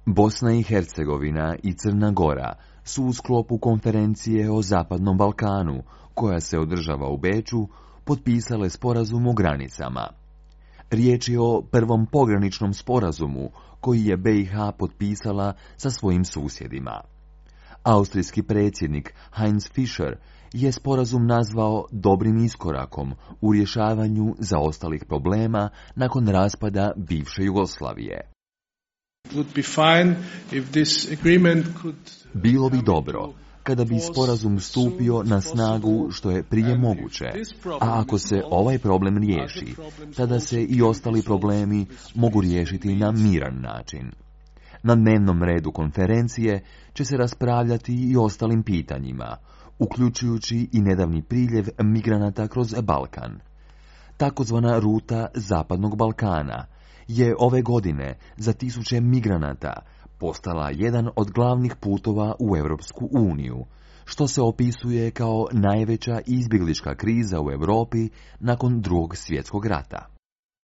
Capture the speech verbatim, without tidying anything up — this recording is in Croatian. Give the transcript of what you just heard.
Bosna i Hercegovina i Crna Gora su u sklopu konferencije o Zapadnom Balkanu, koja se održava u Beču, potpisale sporazum o granicama. Riječ je o prvom pograničnom sporazumu koji je be i ha potpisala sa svojim susjedima. Austrijski predsjednik Heinz Fischer je sporazum nazvao dobrim iskorakom u rješavanju zaostalih problema nakon raspada bivše Jugoslavije. Bilo bi dobro kada bi sporazum stupio na snagu što je prije moguće, a ako se ovaj problem riješi, tada se i ostali problemi mogu riješiti na miran način. Na dnevnom redu konferencije će se raspravljati i ostalim pitanjima, uključujući i nedavni priljev migranata kroz Balkan. Takozvana ruta Zapadnog Balkana je ove godine za tisuće migranata postala jedan od glavnih putova u Europsku uniju, što se opisuje kao najveća izbjeglička kriza u Europi nakon Drugog svjetskog rata.